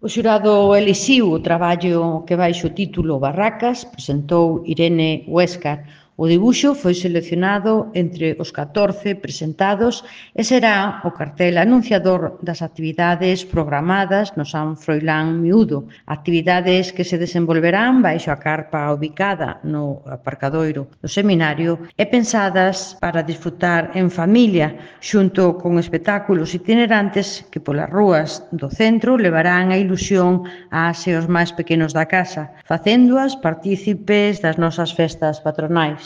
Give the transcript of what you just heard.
O xurado elixiu o traballo que baixo o título Barracas presentou Irene Huéscar. O dibuxo foi seleccionado entre os 14 presentados e será o cartel anunciador das actividades programadas no San Froilán Miúdo, actividades que se desenvolverán baixo a carpa ubicada no aparcadoiro do seminario e pensadas para disfrutar en familia, xunto con espectáculos itinerantes que polas rúas do centro levarán a ilusión ás e os máis pequenos da casa, facéndoas partícipes das nosas festas patronais.